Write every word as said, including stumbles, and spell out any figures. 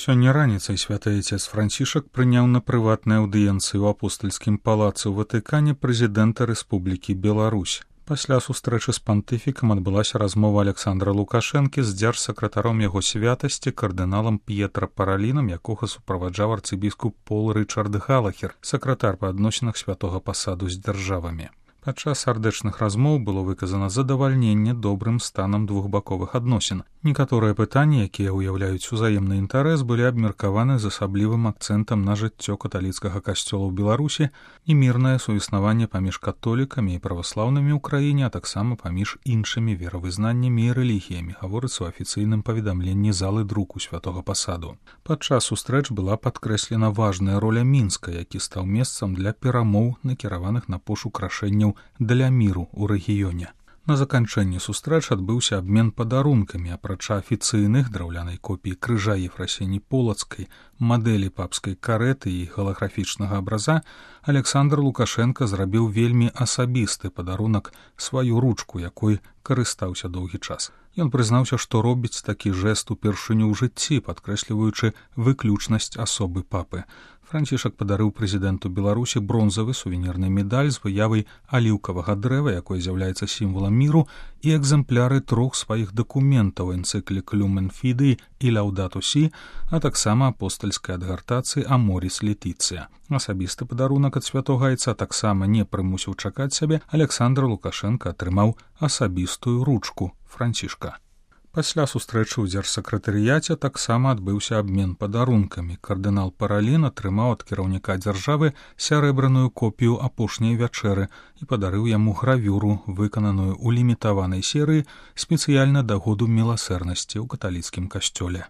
Сёння раніцай святы айцец Францішак прыняў на прыватнай аўдыенцыі ў апостальскім палацы ў Ватыкане прэзідэнта Рэспублікі Беларусь. Пасля сустрэчы з пантыфікам адбылася размова Александра Лукашэнкі з дзяржсакратаром яго святасці кардыналам П'етра Паралінам, якога суправаджаў арцыбіскуп Пол Рычард Галахер, сакратар па адносінах святога пасаду з дзяржавамі. Падчас сардэчных размоў было выказана задавальненне добрым станам двухбаковых адносін. Некаторыя пытанні, якія ўяўляюць узаемны інтарэс, былі абмеркаваны з асаблівым акцэнтам на жыццё каталіцкага касцёла ў Беларусі і мірнае суіснаванне паміж католікамі і праваслаўнымі ў краіне, а таксама паміж іншымі веравызнаннямі і рэлігіямі, гаворыцца ў афіцыйным паведамленні залы друку святога пасаду. Падчас сустрэч была падкрэслена важная роля Мінска, які стаў месцам для перамоў, накіраваных на пошук рашэнняў для міру ў рэгіёне. На заканчэнні сустрэч адбыўся абмен падарункамі, апрача афіцыйных драўлянай копіі крыжа Ефрасіні Полацкай, мадэлі папскай карэты і галаграфічнага абраза, Александр Лукашенка зрабіў вельмі асабісты падарунак, сваю ручку, якой карыстаўся доўгі час. Ён прызнаўся, што робіць такі жэст упершыню ў жыцці, падкрэсліваючы выключнасць асобы папы. Францішак падарыў прэзідэнту Беларусі бронзавы сувенірны медаль з выявай аліўкавага дрэва, якое з'яўляецца сімвалам міру, і экзэмпляры трох сваіх дакументаў энцыклік Люмен Фідэй і Лаўдату Сі, а таксама апостальскай адгартацыі Аморіс Летіцыя. Асабісты падарунак ад святога айца таксама не прымусіў чакаць сябе, Александр Лукашенка атрымаў асабістую ручку Францішка. Пасля сустрэчы ў дзяржсакратарыяце таксама адбыўся абмен падарункамі. Кардынал Паралін атрымаў ад кіраўніка дзяржавы сярэбраную копію апошняй вячэры і падарыў яму гравюру, выкананую ў лімітаванай серыі спецыяльна да году міласэрнасці ў каталіцкім касцёле.